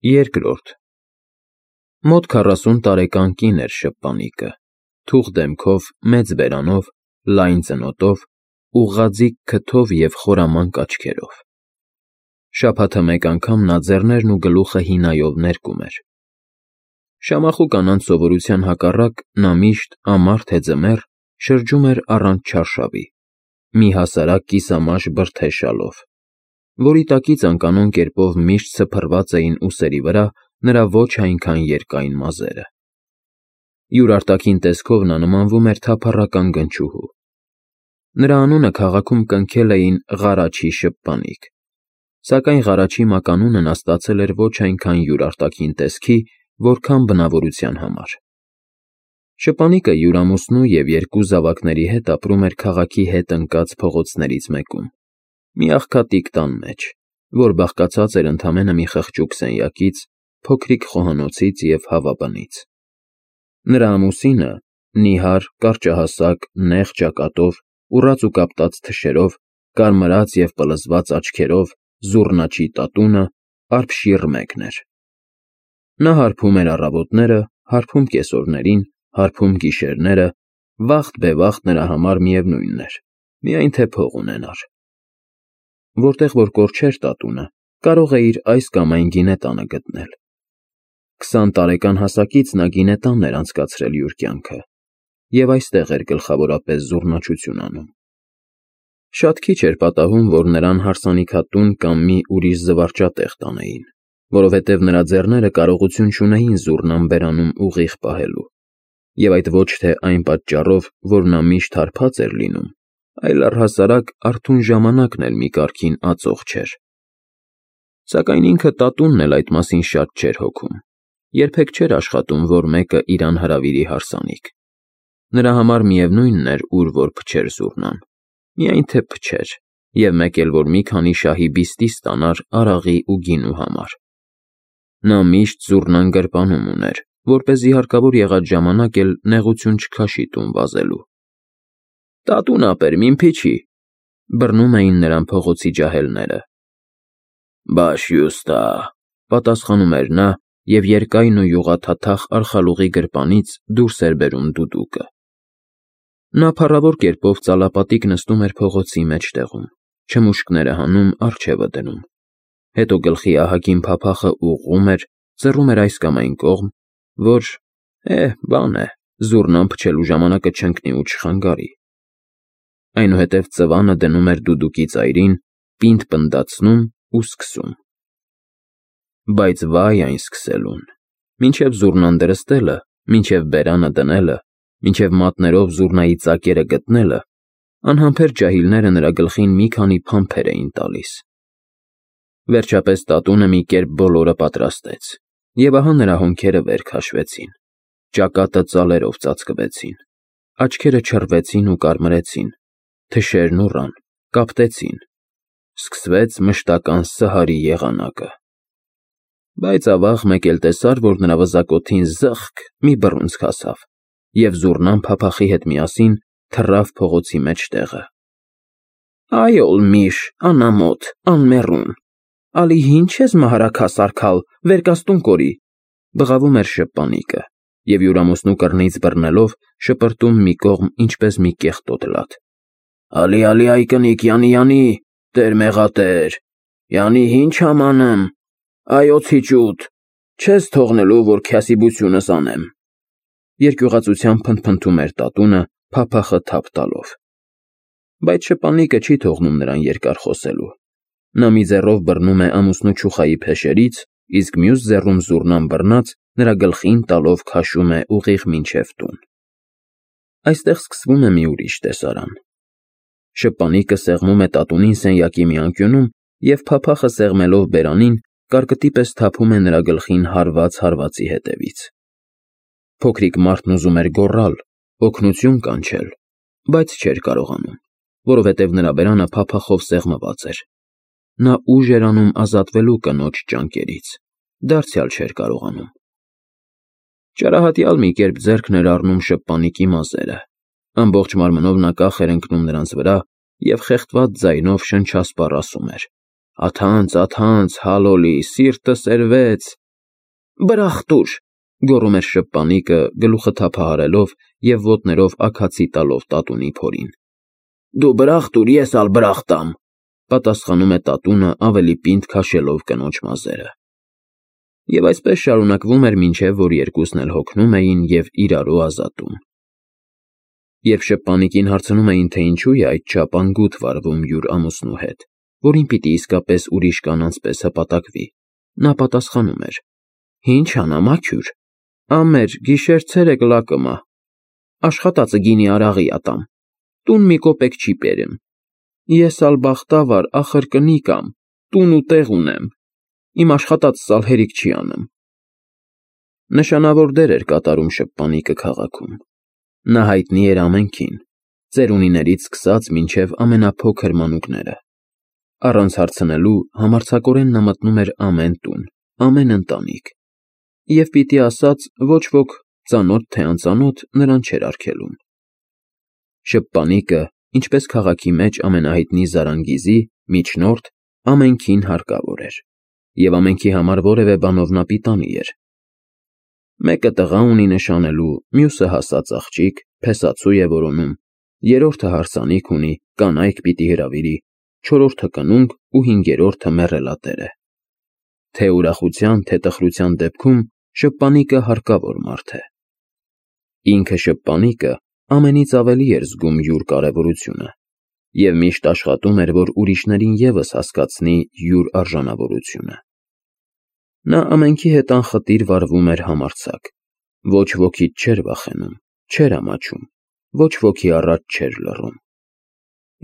Երկրորդ Մոտ 40 տարեկան կին էր շփպանիկը, թուխ դեմքով, մեծ բերանով, լայն ծնոտով, ուղղաձիգ քթով և խորամանկ աչքերով։ Շաբաթը մեկ անգամ նա ձեռներն ու գլուխը հինայով ներկում էր։ Շամախու կանանց սովորության հակառակ նա միշտ, ամառ թե ձմեռ, շրջում էր առանց չարշավի, մի հասարակ կիսամաշ բրդե շալով, որի տակից անկանոն կերպով միշտ սփռված էին ուսերի վրա նրա ոչ այնքան երկայն մազերը։ Յուր արտաքին տեսքով նա նմանվում էր թափառական գնչուհու։ Նրա անունը քաղաքում կնքել էին Ղարաչի շփպանիկ, սակայն Ղարաչի մականունը նա ստացել էր ոչ այնքան յուր արտաքին տեսքի, որքան բնավորության համար։ Շփպանիկը յուր ամուսնու և երկու զավակների հետ ապրում էր քաղաքի հետ ընկած փողոցներից մեկում, մի աղքատիկ տան մեջ, որ բաղկացած էր ընդամենը մի խղճուկ սենյակից, փոքրիկ խոհանոցից և հավաբանից։ Նրա ամուսինը, նիհար, կարճահասակ, նեղ ճակատով, ուռած ու կապտած թշերով, կարմրած և պլզված աչքերով, զուռնաչի տատունը, արբշիռ մեկն էր։ Նա հարբում էր առավոտները, հարբում կեսօրներին, հարբում գիշերները, վաղտ-բևաղտ նրա համար միևնույն էր, միայն թե փող ունենար։ Որտեղ որ կորչեր տատունը, կարող էիր այս կամ այն գինետանը գտնել։ 20 տարեկան հասակից նա գինետանն էր անցկացրել յուր կյանքը և այստեղ էր գլխավորապես զուռնաչություն անում։ Շատ քիչ էր պատահում, որ նրան հարսանիքատուն կամ մի ուրիշ զվարճատեղ տանեին, որովհետև նրա ձեռները կարողություն չունեին զուռնան բերանում ուղիղ պահելու, և այդ ոչ թե այն պատճառով, որ նա միշտ հարբած էր լինում, այլ առհասարակ արթուն ժամանակն էլ մի կարգին ածող չէր։ Սակայն ինքը տատունն էլ այդ մասին շատ չէր հոգում, երբեք չէր աշխատում, որ մեկը իրան հրավիրի հարսանիք։ Նրա համար միևնույնն էր, ուր որ փչեր զուռնան, միայն թե փչեր, և մեկ էլ որ մի քանի շահի բիստի ստանար արաղի ու գինու համար։ Նա միշտ զուռնան գրպանում ուներ, որպեսզի հարկավոր եղած ժամանակ էլ նեղություն չքաշի տուն վազելու։ «Տատուն ապեր, մին փիչի», բռնում էին նրան փողոցի ջահելները։ «Բաշյուստա», պատասխանում էր նա և երկայն ու յուղաթաթախ արխալուղի գրպանից դուրս էր բերում դուդուկը։ Նա փառավոր կերպով ծալապատիկ նստում էր փողոցի մեջտեղում, չմուշկները հանում, առջևը դնում, հետո գլխի ահագին փափախը ուղղում էր, ձռում էր այս կամ այն կողմ, որ, բան է, զուռնան փչելու ժամանակը չընկնի ու չխանգարի։ Այնուհետև ծվանը դնում էր դուդուկի ծայրին, պինդ պնդացնում ու սկսում։ Բայց վայ այն սկսելուն, մինչև զուռնան դրստելը, մինչև բերանը դնելը, մինչև մատներով զուռնայի ծակերը գտնելը, անհամբեր ջահիլները նրա գլխին մի քանի փամփեր էին տալիս։ Վերջապես տատունը մի կերպ բոլորը պատրաստեց, և ահա նրա հոնքերը վեր քաշվեցին, ճակատը ծալերով ծածկվեցին, աչքերը չռվեցին ու կարմրեցին, թշերն ուռան, կապտեցին, սկսվեց մշտական սհարի եղանակը։ Բայց ավաղ մեկ էլ տեսար, որ նրա վզակոթին զըխկ մի բռունցք հասավ, և զուռնան փափախի հետ միասին թռավ փողոցի մեջտեղը։ «Այ օլ միշ, անամոթ, անմեռուն, ալի ինչ ես մահարաքաս արքալ, վերկաստուն կորի», բղավում էր շփպանիկը և յուր ամուսնու կռնից բռնելով շպրտում մի կողմ ինչպես մի կեղտոտ լաց։ «Ալի այ կնիկ, յանի, տեր մեղատեր, յանի ինչ ամանըմ, այ օձի ճուտ, չես թողնելու, որ քյասիբությունս անեմ», երկյուղածությամբ փնթփնթում էր տատունը, փափախը թափ տալով։ Բայց շփպանիկը չի թողնում նրան երկար խոսելու։ Նա մի ձեռով բռնում է ամուսնու չուխայի փեշերից, իսկ մյուս ձեռում զուռնան բռնած նրա գլխին տալով քաշում է ուղիղ մինչև տուն։ Այստեղ սկսվում է մի ուրիշ տեսարան։ Շփպանիկը սեղմում է տատունին սենյակի մի անկյունում և փափախը սեղմելով բերանին, կարկտի պես թափում է նրա գլխին հարված հարվածի հետևից։ Փոքրիկ մարդն ուզում էր գոռալ, օգնություն կանչել, բայց չէր կարողանում, որովհետև նրա բերանը փափախով սեղմված էր։ Նա ուժ էր անում ազատվելու կնոջ ճանկերից, դարձյալ չէր կարողանում։ Ճարահատյալ մի կերպ ձեռքն էր առնում շփպանիկի մազերը, ամբողջ մարմնով նա կախ էր ընկնում նրանց վրա և խեղդված ձայնով շնչասպառ ասում էր. «Աթանց, աթանց, հալոլի, սիրտը սերվեց, Բրախտուր, գոռում էր շփպանիկը, գլուխը թափահարելով և ոտներով աքացի տալով տատունի փորին։ Դու բրախտուր, ես ալ բրախտամ, պատասխանում է տատունը ավելի պինդ քաշելով կնոջ մազերը։ Եվ այսպես շարունակվում էր, մինչև որ երկուսն էլ հոգնում էին և իրարու ազատում։ Երբ շփպանիկին հարցնում էին, թե ինչու է այդչափ անգութ վարվում յուր ամուսնու հետ, որին պիտի իսկապես ուրիշ կանանց պես հպատակվի, նա պատասխանում էր. Ինչ անամաքյուր, ամեր, գիշեր ցերեկ լակմա, աշխատածը գինի արաղի ատամ, տուն մի կոպեկ չի պերեմ, ես ալ բախտավար, ախր կնիկամ, տուն ու տեղ ունեմ, իմ աշխատածս ալ հերիք չի անում։ Նշանավոր դեր էր կատարում շփպանիկը քաղաքում։ Նա հայտնի էր ամենքին, ծերունիներից սկսած մինչև ամենափոքր մանուկները։ Առանց հարցնելու համարձակորեն նա մտնում էր ամեն տուն, ամեն ընտանիք, և պիտի ասած ոչ ոք, ծանոթ թե անծանոթ, նրան չէր արգելում։ Շփպանիկը, ինչպես քաղաքի մեջ ամենահայտնի զարանգիզի, միջնորդ, ամենքին հարկավոր էր, և ամենքի համար որևէ բանով նա պիտանի էր։ Մեկը տղա ունի նշանելու, մյուսը հասած աղջիկ, փեսացու է որոնում, երրորդը հարսանիք ունի, կանայք պիտի հրավիրի, չորրորդը կնունք ու հինգերորդը մեռելատեր է։ Թե ուրախության, թե տխրության դեպքում շփպանիկը հարկավոր մարդ է։ Ինքը շփպանիկը ամենից ավելի էր զգում յուր կարևորությունը և միշտ աշխատում էր, որ ուրիշներին ևս հասկացնի յուր արժանավորությունը։ Նա ամենքի հետ անխտիր վարվում էր համարձակ, ոչ ոքից չէր վախենում, չէր ամաչում, ոչ ոքի առաջ չէր լռում։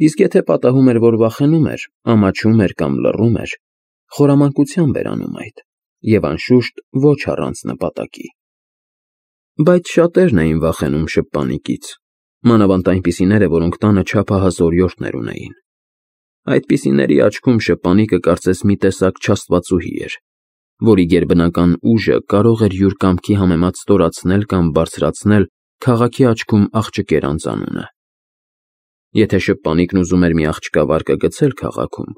Իսկ եթե պատահում էր, որ վախենում էր, ամաչում էր կամ լռում էր, խորամանկությամբ էր անում այդ, և անշուշտ ոչ առանց նպատակի։ Բայց շատերն էին վախենում շփպանիկից, մանավանդ այնպիսիները, որոնք տանը չափահաս օրիորդներ ունեին։ Այդպիսիների աչքում շփպանիկը կարծես մի տեսակ չաստվածուհի էր, որի գերբնական ուժը կարող էր յուր կամքի համեմատ ստորացնել կամ բարձրացնել քաղաքի աչքում աղջկեր անձանունը։ Եթե շփպանիկն ուզում էր մի աղջկա վարկը գցել քաղաքում,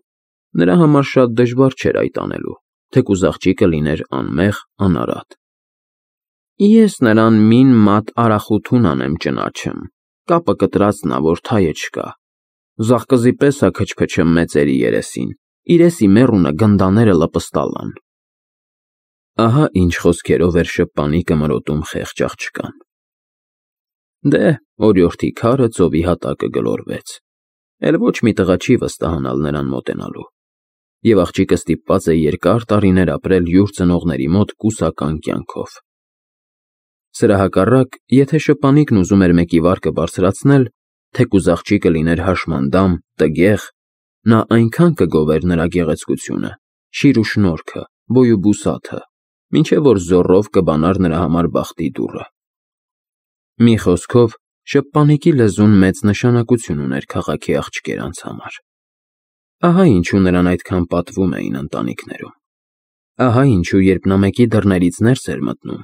նրա համար շատ դժվար չէր այդ անելու, թեկուզ աղջիկը լիներ անմեղ, անարատ։ Ես նրան մին մատ արախութուն անեմ ճնաչեմ, կապը կտրածնա, որ թայը չկա, զաղկզի պես ա քչփչում մեծերի երեսին, իրեսի մեռունը գնդաները լպստալան։ Ահա ինչ խոսքերով էր շփպանիկը մրոտում խեղճ աղջկան։ Դե, օրիորդի քարը ծովի հատակը գլորվեց, էլ ոչ մի տղա չի վստահանալ նրան մոտենալու, և աղջիկը ստիպված է երկար տարիներ ապրել յուր ծնողների մոտ կուսական կյանքով։ Սրա հակառակ, եթե շփպանիկն ուզում էր մեկի վարկը բարձրացնել, թեկուզ աղջիկը լիներ հաշմանդամ, տգեղ, նա այնքան կգովեր նրա գեղեցկությունը, շիր ու շնորհքը, բոյ ու բուսաթը, մինչև որ զոռով կբանար նրա համար բախտի դուռը։ Մի խոսքով, շփպանիկի լեզուն մեծ նշանակություն ուներ քաղաքի աղջկերանց համար։ Ահա ինչու նրան այդքան պատվում էին ընտանիքներում։ Ահա ինչու, երբ նա մեկի դռներից ներս էր մտնում,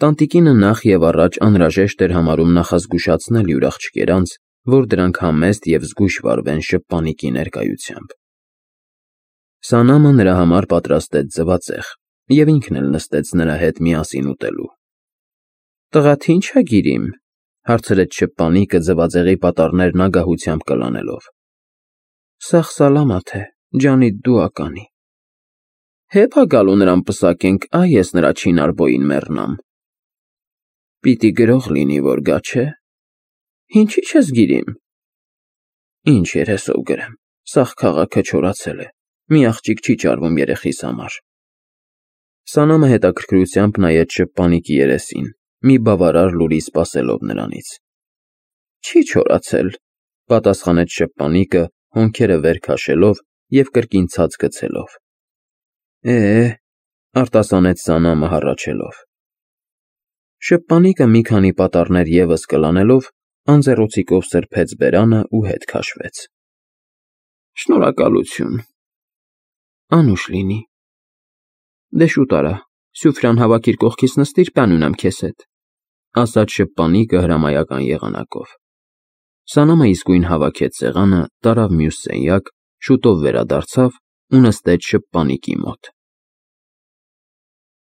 տանտիկինը նախ և առաջ անհրաժեշտ էր համարում նախազգուշացնել յուր աղջկերանց, որ դրանք համեստ և զգույշ վարվեն շփպանիկի ներկայությամբ։ Սանամը նրա համար պատրաստեց ձվածեղ, և ինքն էլ նստեց նրա հետ միասին ուտելու։ Տղա՞դ ինչ ա գիրիմ, հարցրեց շփպանիկը ձվածեղի պատառներն ագահությամբ կլանելով։ Սաղ սալամաթ է, ջանիդ դու ականի։ Հեփ ա գալու նրան պսակենք, այ ես նրա չինարբոյին մեռնամ։ Պիտի գրող լինի, որ գա, չէ։ Ինչի՞ չես գիրիմ։ Ինչ երեսով գրեմ, սաղ քաղաքը չորացել է, մի աղջիկ չի ճարվում երեխիս համար։ Սանամը հետաքրքրությամբ նայեց շփպանիկի երեսին, մի բավարար լուրի սպասելով նրանից։ Չի չորացել, պատասխանեց շփպանիկը, հոնքերը վեր քաշելով և կրկին ցած գցելով։ Արտասանեց Սանամը հառաչելով։ Շփպանիկը մի քանի պատառներ ևս կլանելով, անձեռոցիկով սրբեց բերանը ու հետ քաշվեց։ Շնորհակալություն։ Անուշ լինի։ Դե շուտ արա, Սյուֆրան հավաքիր կողքիս նստիր, բան ունեմ քեզ հետ, ասաց շփպանիկը հրամայական եղանակով։ Սանամը իսկույն հավաքեց սեղանը, տարավ մյուս սենյակ, շուտով վերադարձավ ու նստեց շփպանիկի մոտ։